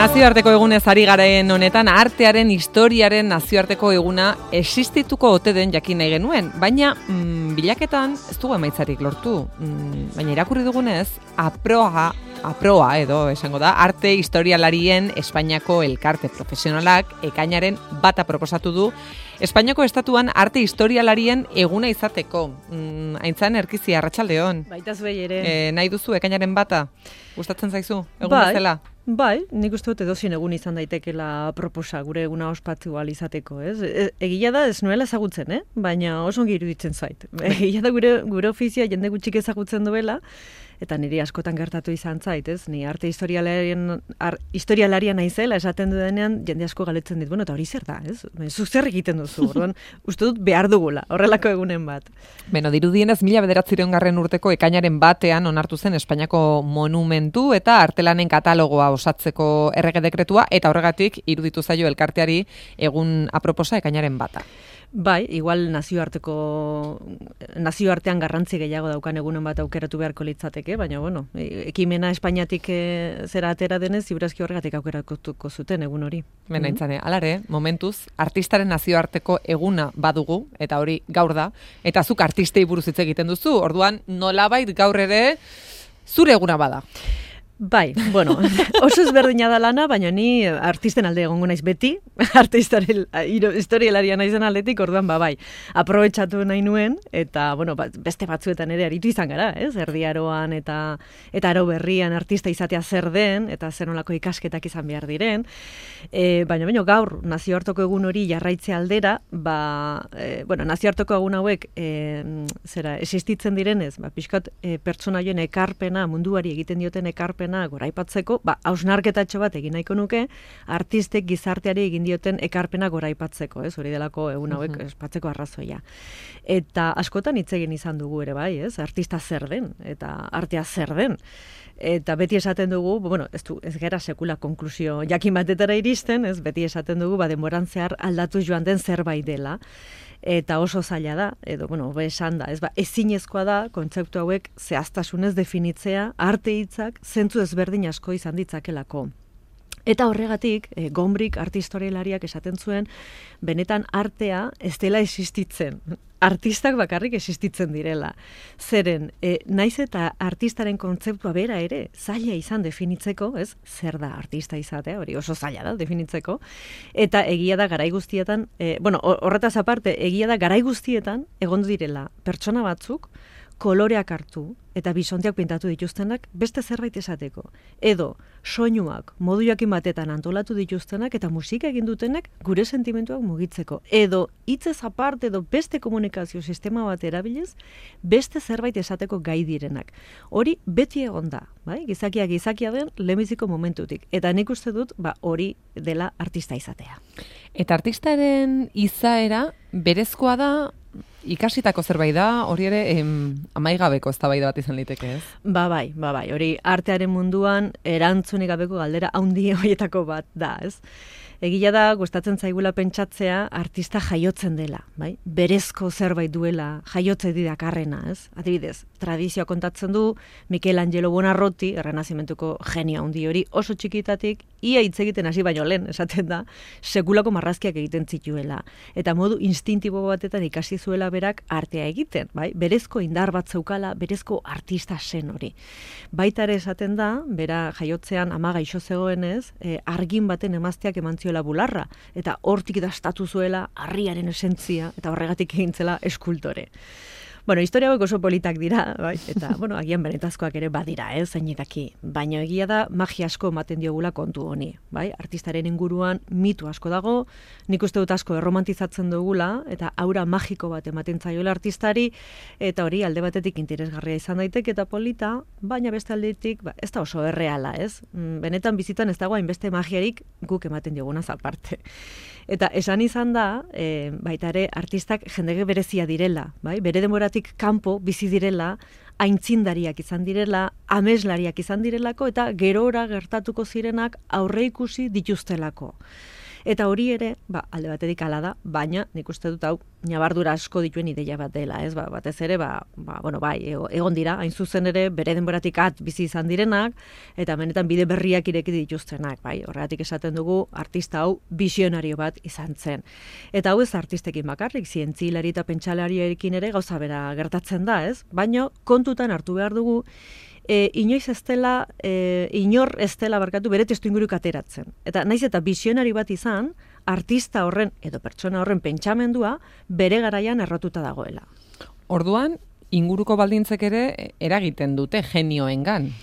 Nazioarteko egunez ari garen honetan, artearen historiaren nazioarteko eguna existituko ote den jakin nahi genuen, baina bilaketan ez dugu emaitzarik lortu. Baina irakurri dugunez, aproa edo esango da, arte historialarien Espainiako elkarte profesionalak ekainaren bata proposatu du, Espainiako estatuan arte historialarien eguna izateko. Aintzan Erkizi, arratsaldeon. Baita zuei ere. Nahi duzu ekainaren bata? Gustatzen zaizu? Egun bezala? Bai, nik uste dut edozein egun izan daitekela proposa gure eguna ospatu ahal izateko, ez? Egia da ez nuela ezagutzen, baina oso ongi iruditzen zait. Egia da gure ofizia jende gutxik ezagutzen duela, eta niri askotan gertatu izan zait, ez? Ni arte historialaria naizela esaten dudenean jende asko galetzen dit, bueno, eta hori zer da, ez? Zuk zer egiten duzu, orduan, uste dut behar dugula, horrelako egunen bat. Beno, dirudienez 1909 urteko ekainaren batean onartu zen Espainiako monumentu eta artelanen katalogoa osatzeko errege dekretua, eta horregatik iruditu zaio elkarteari egun aproposa ekainaren bata. Bai, igual nazioartean garrantzi gehiago daukan egunen bat aukeratu beharko litzateke, baina bueno, ekimena Espainiatik zera atera denez, ziurazki horregatik aukeratuko zuten egun hori. Bena intzane, alare, momentuz, artistaren nazioarteko eguna badugu, eta hori gaur da, eta zuk artistei buruz hitz egiten duzu, orduan nolabait gaur ere zure eguna bada. Bai, bueno, oso ezberdina da lana, baina ni artisten alde egongo naiz beti, arte historialaria naizen aldetik, orduan bai, aprobetxatu nahi nuen, eta bueno, beste batzuetan ere aritu izan gara, ez? Erdiaroan eta aro berrian artista izatea zer den, eta zer nolako ikasketak izan behar diren, baina gaur nazioarteko egun hori jarraitze aldera, nazioarteko egun hauek existitzen direnez, pixkat pertsonaien ekarpena, munduari egiten dioten ekarpena goraipatzeko, hausnarketatxo bat egin nahiko nuke, artistek gizarteari egin dioten ekarpena goraipatzeko, ez? Hori delako egun hauek espatzeko arrazoia. Eta askotan hitz egin izan dugu ere bai, ez? Artista zer den, eta artea zer den. Eta beti esaten dugu, ez gara sekula konklusio jakin batetara iristen, ez? Beti esaten dugu, denboran zehar aldatu joan den zerbait dela. Eta oso zaila da, edo, esan da, ezinezkoa da, kontzeptu hauek zehaztasunez definitzea, arte hitzak zentzu ezberdin asko izan ditzakelako. Eta horregatik, Gombrich arte historialariak esaten zuen, benetan artea ez dela existitzen. Artistak bakarrik existitzen direla. Zeren, naiz eta artistaren kontzeptua bera ere, zaila izan definitzeko, ez? Zer da artista izatea, hori oso zaila da definitzeko. Eta egia da garai guztietan, horretaz aparte, egia da garai guztietan, egon direla pertsona batzuk, koloreak hartu eta bisonteak pintatu dituztenak beste zerbait esateko. Edo soinuak modu jakin batetan antolatu dituztenak eta musika egin dutenak gure sentimentuak mugitzeko. Edo hitzez aparte edo beste komunikazio sistema bat erabiliz beste zerbait esateko gai direnak. Hori beti egon da, bai? Gizakia den lehenbiziko momentutik. Eta nik uste dut hori dela artista izatea. Eta artistaren izaera berezkoa da, ikasitako zerbait da, hori ere amaigabeko eztabaida bat izan liteke, ez? Bai, hori artearen munduan erantzunik gabeko galdera handi horietako bat da, ez? Egia da, gustatzen zaigula pentsatzea artista jaiotzen dela, bai? Berezko zerbait duela jaiotze didakarrena, ez? Adibidez, tradizioa kontatzen du Michelangelo Buonarroti, errenazimentuko genio handi hori, oso txikitatik, ia hitz egiten hasi baino lehen, esaten da, sekulako marrazkiak egiten zituela. Eta modu instintibo batetan ikasi zuela berak artea egiten, bai? Berezko indar bat zeukala, berezko artista zen hori. Baita ere esaten da, bera jaiotzean ama gaixo zegoenez, argin baten emazteak eman ziola bularra, eta hortik dastatu zuela harriaren esentzia, eta horregatik egintzela eskultore. Historia hauek oso politak dira, bai? Eta, agian benetazkoak ere badira, zeinik daki. Baina egia da, magia asko ematen diogula kontu honi, bai? Artistaren inguruan mitu asko dago, nik uste dut asko erromantizatzen dugula, eta aura magiko bat ematen zaiola artistari, eta hori alde batetik interesgarria izan daiteke eta polita, baina beste aldetik, ez da oso erreala, ez? Benetan bizitan ez dago hainbeste magiarik guk ematen diogunaz aparte. Eta esan izan da, baita ere, artistak jendege berezia direla, bai? Bere denboratik kanpo bizi direla, aintzindariak izan direla, ameslariak izan direlako, eta gerora gertatuko zirenak aurreikusi dituztelako. Eta hori ere, alde batetik hala da, baina nik uste dut hau nabardura asko dituen ideia bat dela, ez? Batez ere, egon dira, hain zuzen ere, bere denboratik bizi izan direnak, eta benetan bide berriak ireki dituztenak, bai? Horregatik esaten dugu, artista hau visionario bat izan zen. Eta hau ez artistekin bakarrik, zientzilari eta pentsalariekin ere gauza bera gertatzen da, ez? Baina kontutan hartu behar dugu, inoiz ez dela, inor ez dela bere testuinguruk ateratzen. Eta naiz eta visionari bat izan, artista horren edo pertsona horren pentsamendua bere garaian errotuta dagoela. Orduan, inguruko baldintzek ere eragiten dute genioengan.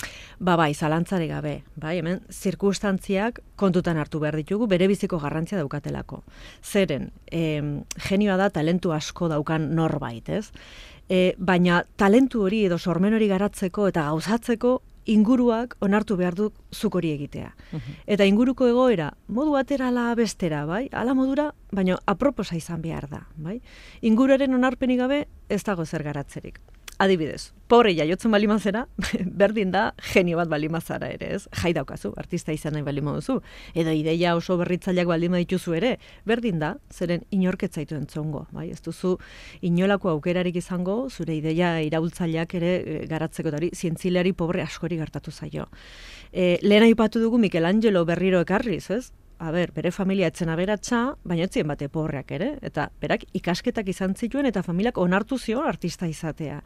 Bai, zalantzare gabe. Bai, hemen zirkunstantziak kontutan hartu behar ditugu, bere biziko garrantzia daukatelako. Zeren, genioa da talentu asko daukan norbait, ez? Baina talentu hori edo sormen hori garatzeko eta gauzatzeko inguruak onartu behar du zuk hori egitea. Eta inguruko egoera, modu batera ala bestera, bai? Ala modura, baina aproposa izan behar da, bai? Inguruaren onarpenik gabe ez dago zer garatzerik. Adibidez, pobre jaiotzen balimazera, berdin da genio bat balimazara ere, ez? Jai daukazu, artista izan nahi balimo duzu. Edo ideia oso berritzaileak baldima dituzu ere, berdin da, zeren inorketzaitu entzongo, bai? Ez duzu inolako aukerarik izango, zure ideia iraultzaileak ere garatzeko, eta hori zientzileari pobre askori gertatu zaio. Lehen aipatu dugu Michelangelo berriro ekarriz, ez? Bere familia etzen aberatsa, baina etzien bate pobreak ere, eta berak ikasketak izan zituen eta familiak onartu zion artista izatea.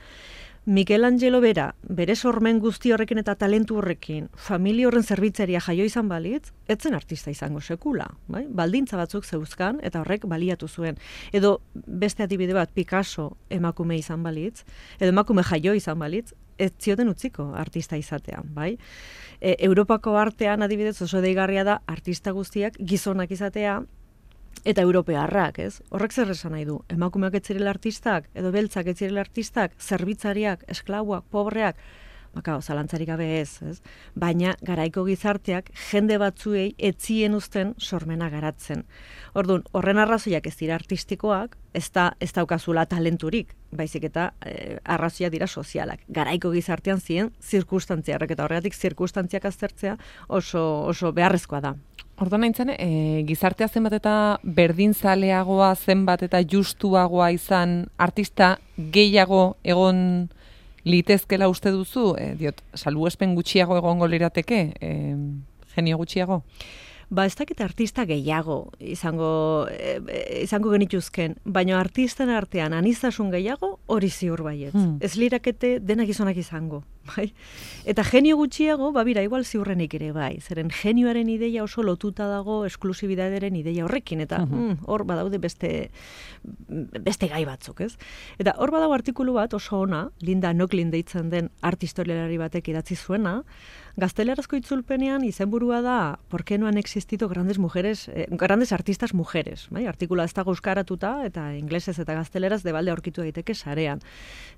Michelangelo bere sormen guzti horrekin eta talentu horrekin, familia horren zerbitzaria jaio izan balitz, etzen artista izango sekula, bai? Baldintza batzuk zeuzkan eta horrek baliatu zuen. Edo beste adibide bat Picasso emakume izan balitz, edo emakume jaio izan balitz, ez zioten utziko artista izatea, bai? Europako artean adibidez oso deigarria da artista guztiak gizonak izatea eta europearrak, ez? Horrek zer esan nahi du? Emakumeak ez zirela artistak, edo beltzak ez zirela artistak, zerbitzariak, esklauak, pobreak, zalantzarik gabe ez? Baina garaiko gizarteak jende batzuei etzien uzten sormena garatzen. Orduan, horren arrazoiak ez dira artistikoak, ez daukazula talenturik, baizik eta arrazoiak dira sozialak. Garaiko gizartean ziren zirkunstantziarrak, eta horregatik zirkunstantziak aztertzea oso beharrezkoa da. Orduan nintzen, gizartea zenbat eta berdinzaleagoa, zenbat eta justuagoa izan artista gehiago egon litezkela uste duzu, salbuespen gutxiago egongo lirateke, genio gutxiago? Ez dakit artista gehiago izango genituzken, baina artisten artean anistasun gehiago hori ziur baietz. Ez lirakete denak gizonak izango, bai? Eta genio gutxiago, igual ziurrenik ere bai. Zeren genioaren ideia oso lotuta dago esklusibidaderen ideia horrekin, eta hor badaude beste gai batzuk, ez? Eta hor badago artikulu bat oso ona, Linda Nochlin deitzen den art historialari batek idatzi zuena, gaztelerazko itzulpenean izenburua da ¿Por qué no han existido grandes artistas mujeres? Bai? Artikula ez dago euskaratuta eta inglesez eta gazteleraz debalde aurkitu daiteke sarean.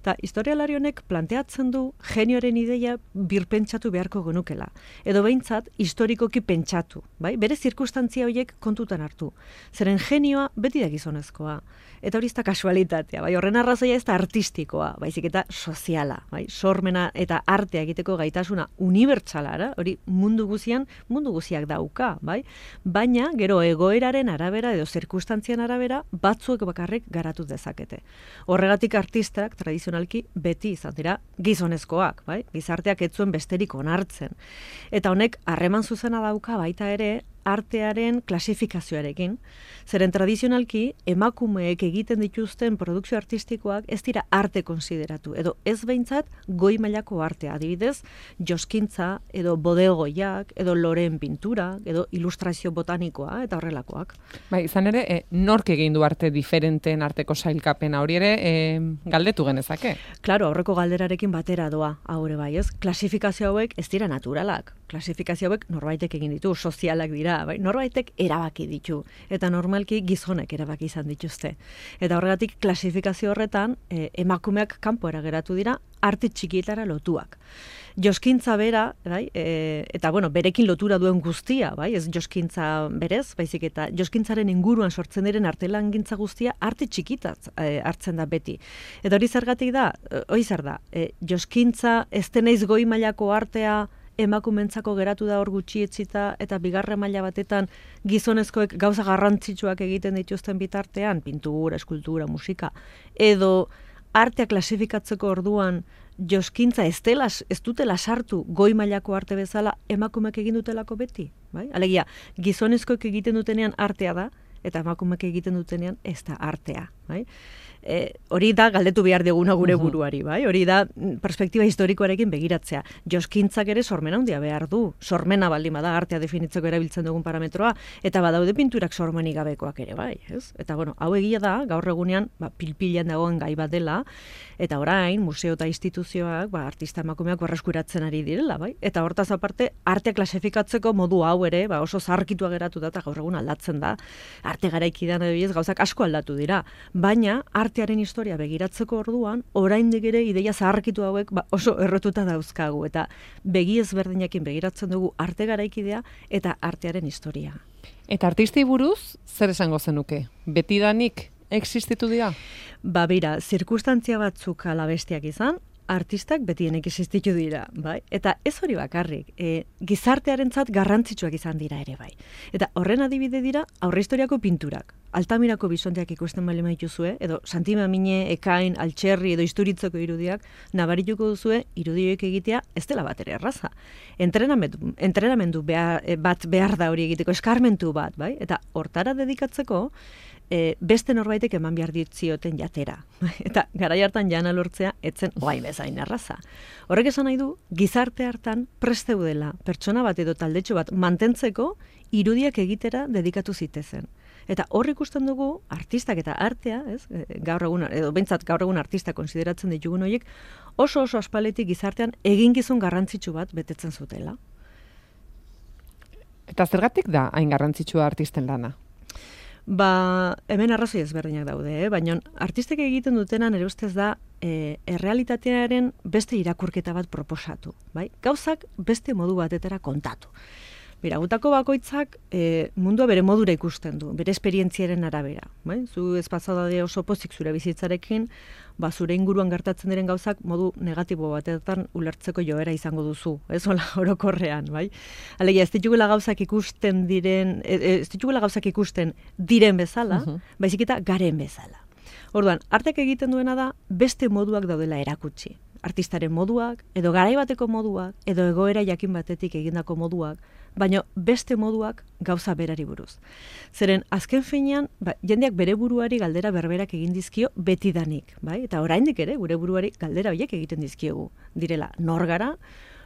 Eta historialari honek planteatzen du genioaren ideia birpentsatu beharko genukela. Edo behintzat historikoki pentsatu. Bai? Bere zirkunstantzia horiek kontutan hartu. Zeren genioa beti da gizonezkoa. Eta hori ez da kasualitatea. Bai? Horren arrazoia ez da artistikoa, baizik eta soziala. Bai? Sormena eta artea egiteko gaitasuna unibertsalara, hori mundu guziak dauka, bai? Baina gero egoeraren arabera edo zirkunstantzian arabera batzuek bakarrik garatu dezakete. Horregatik artistak tradizionalki beti izan dira gizonezkoak, bai? Gizarteak ez zuen besterik onartzen. Eta honek harreman zuzena dauka baita ere artearen klasifikazioarekin. Zeren tradizionalki emakumeek egiten dituzten produkzio artistikoak ez dira arte konsideratu, edo ez behintzat goi mailako artea, adibidez, joskintza, edo bodegoiak, edo loreen pintura, edo ilustrazio botanikoa, eta horrelakoak. Bai, izan ere, nork egin du arte diferenteen arteko sailkapena, hori ere galdetu genezake? Claro, aurreko galderarekin batera doa, haure bai, ez? Klasifikazio hauek ez dira naturalak. Klasifikazio hauek norbaitek egin ditu, sozialak dira, bai? Norbaitek erabaki ditu, eta normalki gizonek erabaki izan dituzte. Eta horregatik klasifikazio horretan emakumeak kanpora geratu dira arte txikietara lotuak. Joskintza bera, bai? Eta berekin lotura duen guztia, bai? Ez joskintza berez, baizik eta joskintzaren inguruan sortzen diren artelangintza guztia arte txikitaz hartzen da beti. Eta hori zergatik da, hori zer da, joskintza ez deneiz goi mailako artea emakumentzako geratu da hor gutxi etzita, eta bigarren maila batetan gizonezkoek gauza garrantzitsuak egiten dituzten bitartean, pintura, eskultura, musika, edo artea klasifikatzeko orduan joskintza ez dutela sartu goi mailako arte bezala emakumeek egin dutelako beti, bai? Alegia, gizonezkoek egiten dutenean artea da, eta emakumeek egiten dutenean ez da artea, bai? Hori da galdetu behar diguna gure buruari, bai? Hori da perspektiba historikoarekin begiratzea. Joskintzak ere sormena handia behar du. Sormena baldin bada artea definitzeko erabiltzen dugun parametroa, eta badaude pinturak sormenik gabekoak ere, bai, ez? Eta bueno, hau egia da, gaur egunean, pilpilan dagoen gai bat dela, eta orain museo eta instituzioak, artista emakumeak berreskuratzen ari direla, bai? Eta hortaz aparte, artea klasifikatzeko modu hau ere, oso zaharkitua geratu da, eta gaur egun aldatzen da. Arte garaikidan edo gauzak asko aldatu dira, baina artearen historia begiratzeko orduan, oraindik ere ideia zaharkitu hauek oso errotuta dauzkagu, eta begi ezberdinekin begiratzen dugu arte garaikidea eta artearen historia. Eta artistei buruz, zer esango zenuke? Betidanik existitu dira? Bera, zirkustantzia batzuk ala bestiak izan, artistak betienek existitu dira, bai? Eta ez hori bakarrik, gizartearentzat garrantzitsuak izan dira ere, bai. Eta horren adibide dira aurrehistoriako pinturak. Altamirako bisonteak ikusten bali maituzue, edo Santi Mamine, Ekain, Altxerri edo Isturitzoko irudiak, nabarituko duzue irudioek egitea ez dela bat ere erraza. Entrenamendu bat behar da hori egiteko, eskarmentu bat, bai? Eta hortara dedikatzeko, beste norbaitek eman behar ditzioten jatera. Eta garai hartan jana lortzea etzen oain bezain erraza. Horrek esan nahi du, gizarte hartan presteudela pertsona bat edo taldetxo bat mantentzeko irudiak egitera dedikatu zitezen. Eta hor ikusten dugu, artistak eta artea, ez? Gaur egun, edo behintzat gaur egun artista konsideratzen ditugun horiek, oso aspaletik gizartean eginkizun garrantzitsu bat betetzen zutela. Eta zergatik da hain garrantzitsua artisten lana? Hemen arrazoi ezberdinak daude, baina artistek egiten dutena nire ustez da errealitatearen beste irakurketa bat proposatu, bai? Gauzak beste modu batetara kontatu. Gutako bakoitzak mundua bere modura ikusten du, bere esperientziaren arabera. Bai? Zu ez pasada oso pozik zure bizitzarekin, zure inguruan gertatzen diren gauzak modu negatibo batetan ulertzeko joera izango duzu, ez hola orokorrean, bai? Alegia, ez ditugula gauzak ikusten diren bezala, baizik eta garen bezala. Orduan, arteak egiten duena da beste moduak daudela erakutsi. Artistaren moduak, edo garaibateko moduak, edo egoera jakin batetik egindako moduak, baina beste moduak gauza berari buruz. Zeren, azken finean, jendeak bere buruari galdera berberak egin dizkio betidanik, bai? Eta oraindik ere, gure buruari galdera horiek egiten dizkiegu. Direla, nor gara,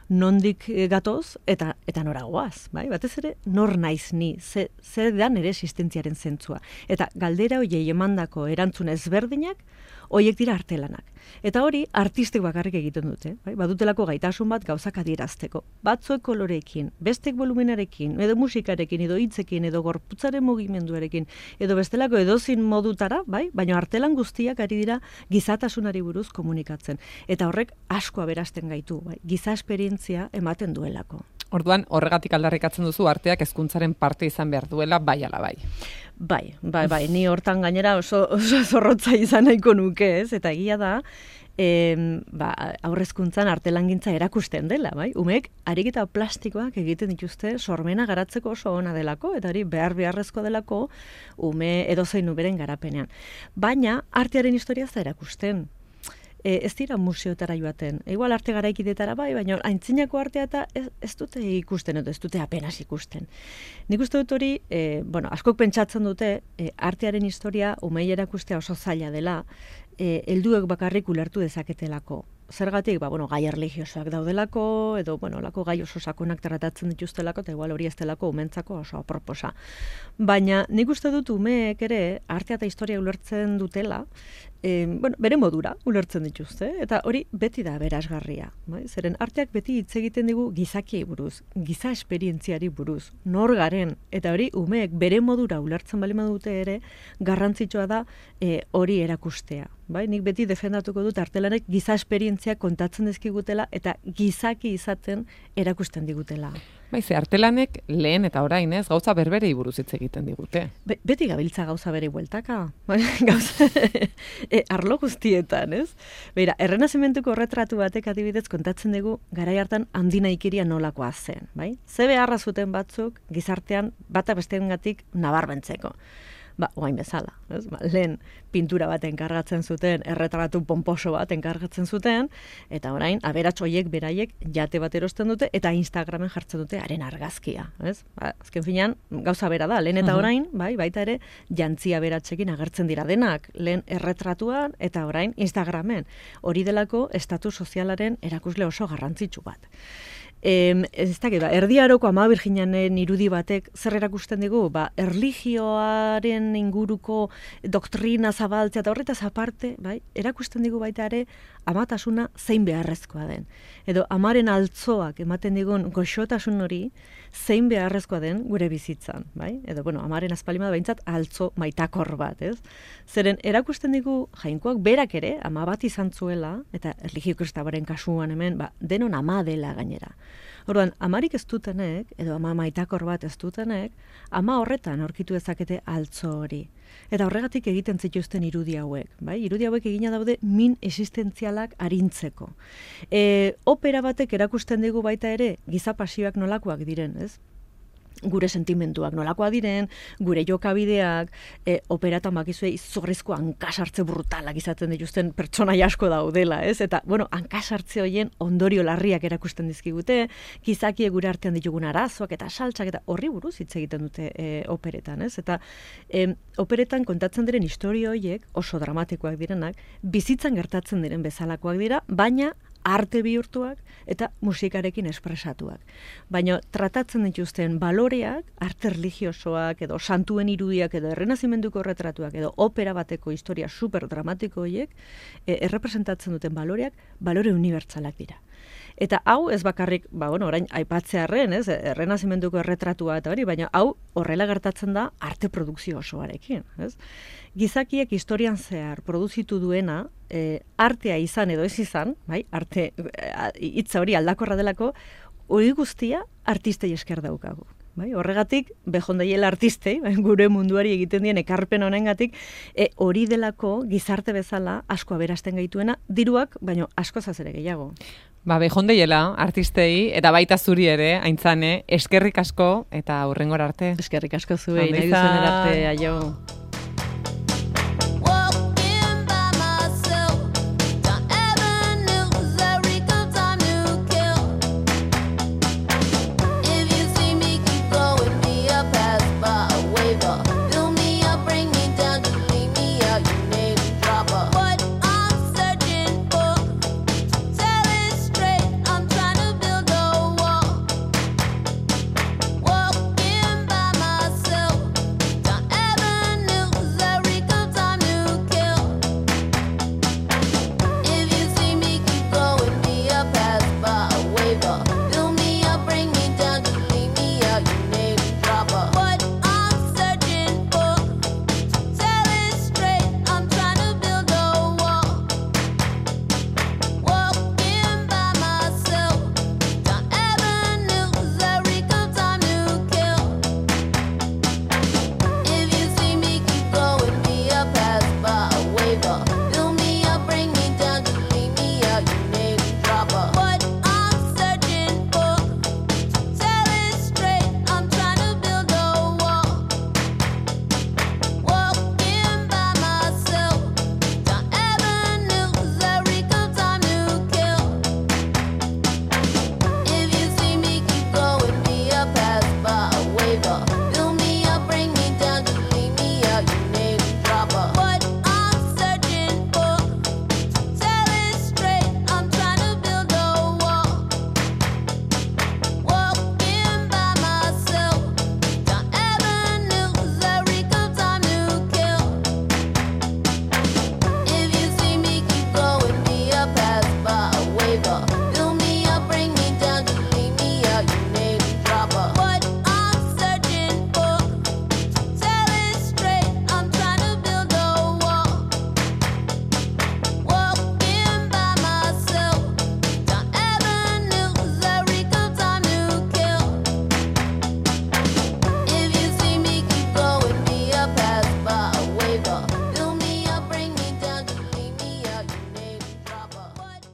nondik gatoz, eta nora goaz, bai? Batez ere, nor naiz ni, zer da nire existentziaren zentzua. Eta galdera horiei emandako erantzun ezberdinak, horiek dira artelanak. Eta hori, artistek bakarrik egiten dute. Bai? Badutelako gaitasun bat gauzak adierazteko. Batzuek kolorekin, bestek volumenarekin, edo musikarekin, edo hitzekin, edo gorputzaren mugimenduarekin, edo bestelako edozin modutara, bai? Baina artelan guztiak ari dira gizatasunari buruz komunikatzen. Eta horrek asko aberasten gaitu, bai? Giza esperientzia ematen duelako. Orduan, horregatik aldarrikatzen duzu arteak hezkuntzaren parte izan behar duela, bai ala bai. Bai, ni hortan gainera oso zorrotza izan nahiko nuke, ez? Eta egia da, aurrezkuntzan artelangintza erakusten dela, bai? Umeek ariketa plastikoak egiten dituzte sormena garatzeko oso ona delako, eta hori beharrezkoa delako ume edozein uberen garapenean. Baina artearen historia ez da erakusten. Ez dira museotara joaten. Igual arte garaikidetara bai, baina aintzinako artea eta ez dute ikusten, edo ez dute apenas ikusten. Nik uste dut hori, askok pentsatzen dute, artearen historia umei erakustea oso zaila dela, helduek bakarrik ulertu dezaketelako. Zergatik, gai erlijiosoak daudelako, edo, lako gai oso sakonak tratatzen dituztelako, eta igual hori ez delako umentzako oso aproposa. Baina nik uste dut umeek ere artea eta historia ulertzen dutela, bere modura ulertzen dituzte, eta hori beti da berazgarria. Bai? Zeren arteak beti hitz egiten digu gizakiei buruz, giza esperientziari buruz, nor garen, eta hori umeek bere modura ulertzen bali dute ere, garrantzitsua da hori erakustea. Bai? Nik beti defendatuko dut artelanek giza esperientzia kontatzen dizkigutela eta gizaki izaten erakusten digutela. Ze artelanek lehen eta orain ez, gauza berberei buruz hitz egiten digute. Beti gabiltza gauza bere bueltaka. Gauza, arlo guztietan, ez? Beira, errenazimentuko retratu batek adibidez kontatzen dugu garai hartan handinaikiria nolakoa zen, bai? Ze beharra zuten batzuk gizartean bata besteengatik nabarmentzeko. Oain bezala, ez? Lehen pintura bat enkargatzen zuten, erretratu pomposo bat enkargatzen zuten, eta orain, aberats horiek beraiek jate bat erosten dute, eta Instagramen jartzen dute haren argazkia, ez? Azken finean, gauza bera da, lehen eta orain, baita ere, jantzia aberatsekin agertzen dira denak, lehen erretratuan, eta orain Instagramen. Hori delako, estatu sozialaren erakusle oso garrantzitsu bat. Ez dakit, Erdi Aroko Ama Birjinanen irudi batek zer erakusten digu, erlijioaren inguruko doktrina zabaltzea eta horretaz aparte, erakusten digu baita ere amatasuna zein beharrezkoa den. Edo amaren altzoak ematen digun goxotasun hori zein beharrezkoa den gure bizitzan, Edo, amaren azpalimada behintzat altzo maitakor bat, ez? Zeren erakusten digu jainkoak berak ere, ama bat izan zuela, eta erlijio kristabaren kasuan hemen, denon ama dela gainera. Orduan, amarik ez dutenek, edo ama maitakor bat ez dutenek, ama horretan aurkitu dezakete altzo hori. Eta horregatik egiten zituzten irudi hauek. Irudi hauek egina daude min existentzialak arintzeko. Opera batek erakusten digu baita ere, giza pasioak nolakoak diren, ez? Gure sentimenduak nolakoa diren, gure jokabideak, operatan bakizue izorrezko hankasartze brutalak izaten dituzten pertsona asko daudela, ez? Eta, hankasartze horien ondorio larriak erakusten dizkigute, gizakie gure artean ditugun arazoak eta saltsak eta horri buruz hitz egiten dute operetan, ez? Eta operetan kontatzen diren istorio horiek oso dramatikoak direnak, bizitzan gertatzen diren bezalakoak dira, baina arte bihurtuak eta musikarekin espresatuak. Baina tratatzen dituzten baloreak, arte religiosoak edo santuen irudiak edo errenazimenduko retratuak edo opera bateko historia super dramatiko horiek errepresentatzen duten baloreak, balore unibertsalak dira. Eta hau ez bakarrik, orain aipatzearren, ez, errenazimenduko erretratua eta hori, baina hau horrela gertatzen da arte produkzio osoarekin, ez? Gizakiek historian zehar produzitu duena, artea izan edo ez izan, arte hitza hori aldakorra delako, hori guztia artistei esker daukagu. Horregatik, behondaiela artistei, gure munduari egiten dien ekarpen honengatik, hori delako gizarte bezala asko aberasten gaituena, diruak, baino asko zazere gehiago. Behondaiela artistei, eta baita zuri ere, Aintzane, eskerrik asko eta hurrengora arte. Eskerrik asko zuei, nahi duzen arte, aio.